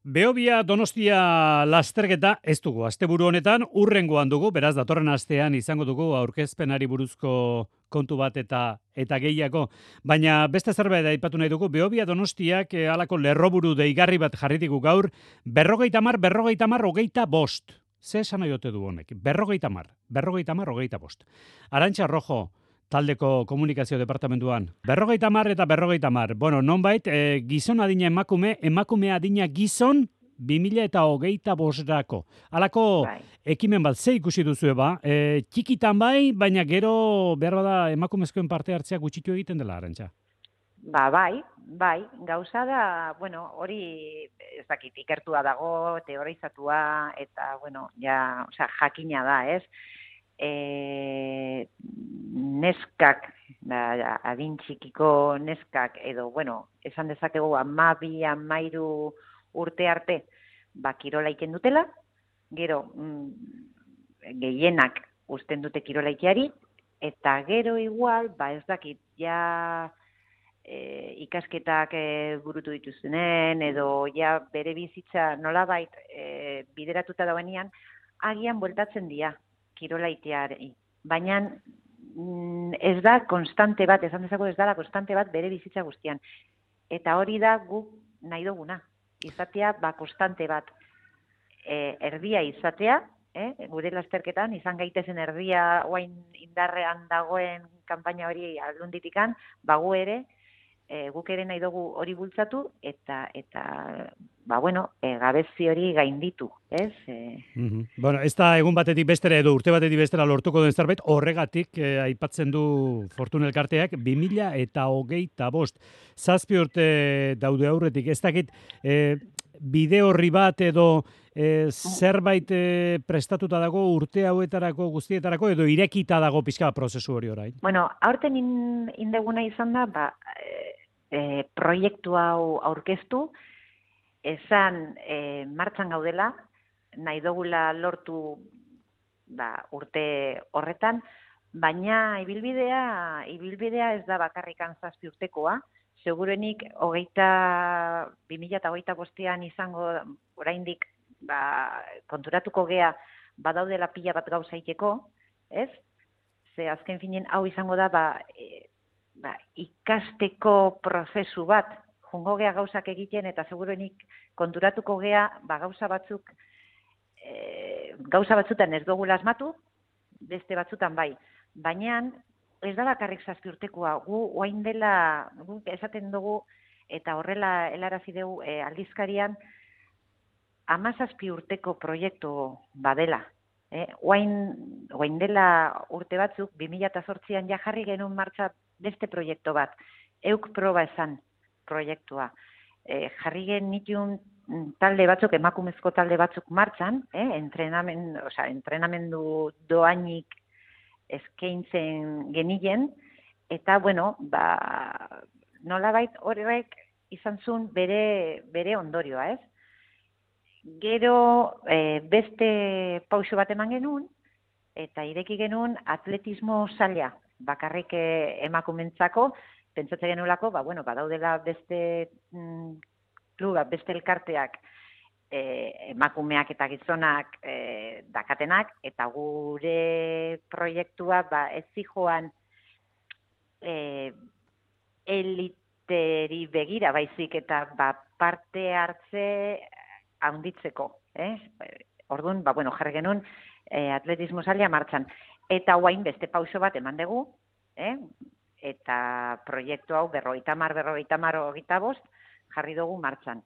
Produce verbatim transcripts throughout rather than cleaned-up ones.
Behobia Donostia lasterketa ez dugu. Asteburu honetan urrengoan dugu, beraz datorren astean izango dugu aurkezpenari buruzko kontu bat eta eta gehiago. Baina beste zerbait aipatu nahi dugu, Behobia Donostiak eh, halako lerroburu deigarri bat jarri digu gaur, berrogeita hamar, berrogeita hamar, hogeita bost. Ze esan nahi ote du honek? Berrogeita hamar, berrogeita hamar, hogeita bost. Arantxa Rojo, taldeko komunikazio departamentuan. Berrogeita hamar eta berrogeita hamar. Bueno, nonbait, e, gizon adina emakume, emakume adina gizon, bi mila eta hogeita bosrako. Halako Bai. ekimen bat, ze ikusi duzu eba? E, txikitan bai, baina gero behar bada emakumezkoen parte hartzea gutxitu egiten dela, Arantxa. Ba, bai, bai, gauza da, bueno, hori ez dakit, ikertua dago, teorizatua, eta, bueno, ja, osea, jakina da, ez? E, neskak, da, adin txikiko neskak, edo, bueno, esan dezakegu amabi, amairu urte arte, ba, kirola iten dutela, gero, mm, gehienak uzten dute kirola iteari, eta gero igual, ba, ez dakit, ja, e, ikasketak e, burutu dituztenen, edo ja bere bizitza nolabait e, bideratuta dauenean, agian bueltatzen dira kirolaiteari. Baina mm, ez da konstante bat, esan dezako ez da konstante bat bere bizitza guztian. Eta hori da guk nahi duguna. Izatea, ba, konstante bat e, erdia izatea, eh? Gure lasterketan, izan gaitezen erdia oain indarrean dagoen kanpaina hori aldunditikan, bagu ere, E, guk ere nahi dugu hori bultzatu eta eta ba bueno, e, gabezi hori gainditu, ez? E... Mm-hmm. Bueno, ez da egun batetik bestera edo urte batetik bestera lortuko den zerbait, horregatik eh, aipatzen du Fortuna elkarteak bi mila eta hogeita bost. Zazpi urte daude aurretik, ez dakit eh, bide horri bat edo e, zerbait e, prestatuta dago urte hauetarako guztietarako edo irekita dago pixka prozesu hori orain? Bueno, aurten in, indeguna izan da, ba, e, proiektu hau aurkeztu, esan e, martxan gaudela, nahi dugula lortu ba, urte horretan, baina ibilbidea, ibilbidea ez da bakarrikan zazpi urtekoa, segurenik hogeita, bi mila eta hogeita bostean izango oraindik ba, konturatuko gea badaudela pila bat gauza iteko, ez? Ze azken finen hau izango da ba, e, ba, ikasteko prozesu bat, jungo gea gauzak egiten eta segurenik konturatuko gea ba, gauza batzuk, e, gauza batzutan ez dugu asmatu, beste batzutan bai, baina ez da bakarrik zazpi urtekoa, gu oain dela, gu esaten dugu, eta horrela helarazi dugu e, aldizkarian, hamazazpi urteko proiektu badela. Eh? Oain, oain dela urte batzuk, bi mila zortzian ja jarri genuen martxa beste proiektu bat, euk proba esan proiektua. E, jarri genitun talde batzuk, emakumezko talde batzuk martxan, eh? Entrenamen, osea, entrenamendu doainik eskaintzen genilen, eta, bueno, ba, nolabait horrek izan zuen bere, bere ondorioa, ez? Gero e, beste pauso bat eman genuen, eta ireki genuen atletismo zaila, bakarrik emakumentzako, pentsatzen genuelako, ba, bueno, badaudela beste mm, klubak, beste elkarteak, e, emakumeak eta gizonak e, dakatenak, eta gure proiektua ba, ez zijoan e, eliteri begira baizik, eta ba, parte hartze haunditzeko. Eh? Orduan, ba, bueno, jarri genuen e, atletismo zaila martxan. Eta guain beste pauso bat eman dugu, eh? Eta proiektu hau berrogeita hamar, berrogeita hamar, hogeita bost jarri dugu martxan.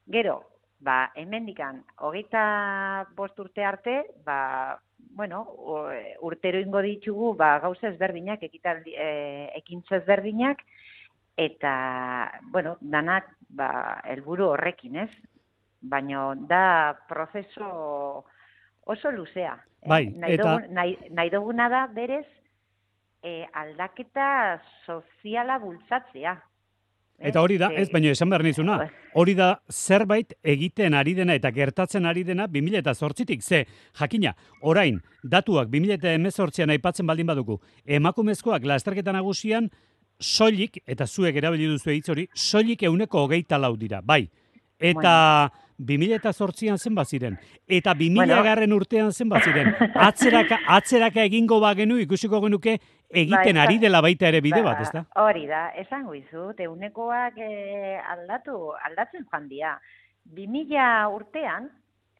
Gero, ba, hemendikan hogeita bost urte arte, ba, bueno, urtero ingo ditugu ba, gauza ezberdinak, ekitaldi, e, ekintza ezberdinak, eta, bueno, danak ba, helburu horrekin, ez? Baina da prozeso oso luzea. Bai, eh? nahi, eta... dugun, nahi, nahi duguna da berez eh, aldaketa soziala bultzatzea. Eta hori da, ez, baina esan behar nizuna, hori da zerbait egiten ari dena eta gertatzen ari dena bi mila zortzitik, ze, jakina, orain, datuak bi mila hemezortzian aipatzen baldin badugu, emakumezkoak lasterketa nagusian, soilik, eta zuek erabili duzu hitz hori, soilik euneko hogeita lau dira, bai. Eta, bi mila zortzian zenbat ziren, eta bi mila Bueno. garren urtean zenbat ziren, atzeraka, atzeraka egingo bagenu, ikusiko genuke, egiten Ba, ari dela baita ere bide bat, ba, ezta? Hori da, esango izut, eunekoak eh, aldatu, aldatzen joan dira. bi mila urtean,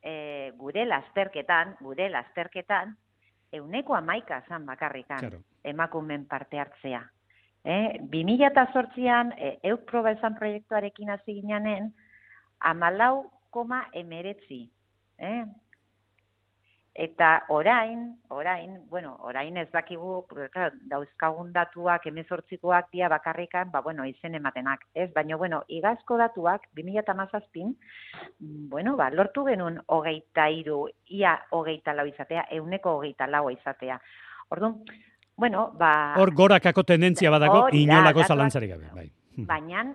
eh, gure lasterketan, gure lasterketan, euneko hamaika zan bakarrikan, Claro. emakumen parte hartzea. Eh, bi mila zortzian, eh, euk proba esan proiektuarekin hasi gineanen, hamalau koma emeretzi. Eh? Eta orain, orain, bueno, orain ez dakigu, claro, dauzkagun datuak, hemezortzikoak dia bakarrikan, ba, bueno, izen ematenak, ez? Baina, bueno, igazko datuak, bi mila hamazazpin, bueno, ba, lortu genuen hogeita hiru, ia hogeita lau izatea, euneko hogeita lau izatea. Orduan, bueno, ba... Hor gorakako tendentzia badago, hori da, inolako datuak, zalantzarik gabe, bai. Baina,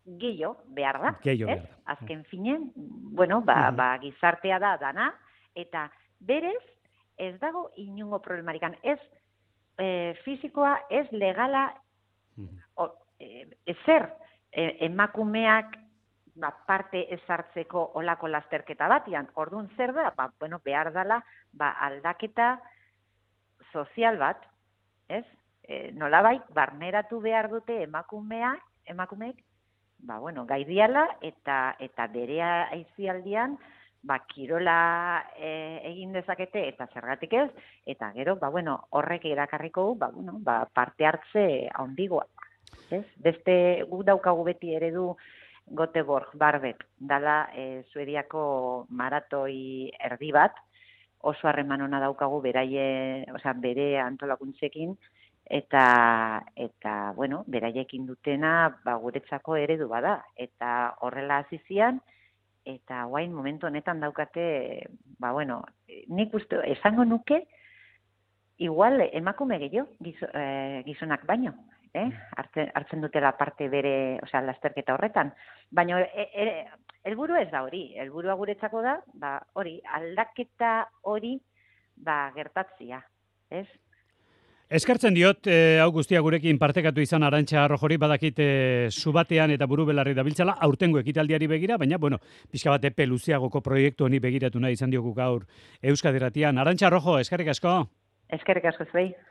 gehiago behar da, Gehiago ez? behar da. Azken finen, bueno, ba, ba, gizartea da dana, eta berez, ez dago inungo problemarikan. Ez e, fizikoa, ez legala, o, e, ezer e, emakumeak ba, parte ezartzeko olako lasterketa batian. Orduan zer da, ba, bueno, behar dela ba, aldaketa sozial bat, ez? E, nolabait, barneratu behar dute emakumeak, emakumeek, ba, bueno, gaidiala eta, eta bere aizialdian, ba, kirola e, egin dezakete eta zergatik ez, eta gero, ba, bueno, horrek erakarriko, ba, bueno, ba, parte hartze handigoa. Ez? Beste gu daukagu beti eredu Göteborg, Barbek, dala e, Suediako maratoi erdi bat, oso harreman ona daukagu beraie, osea, bere antolakuntzekin, eta, eta bueno, beraiekin dutena, ba, guretzako eredu bada, eta horrela hasi zian, eta guain momentu honetan daukate, ba, bueno, nik uste, esango nuke, igual emakume gehiago, gizo, eh, gizonak baino, eh? hartzen, hartzen dutela parte bere, osea, lasterketa horretan. Baina, e, e, helburu ez da hori, helburua guretzako da, ba, hori, aldaketa hori, ba, gertatzia, ez? Eskertzen diot, eh, hau guztia gurekin partekatu izan Arantxa Rojori, badakit eh, zubatean eta buru belarri dabiltzala, aurtengo ekitaldiari begira, baina, bueno, pixka bat epe luzeagoko proiektu honi begiratu nahi izan diogu gaur Euskadi Irratian. Arantxa Rojo, eskerrik asko. Eskerrik asko zuei.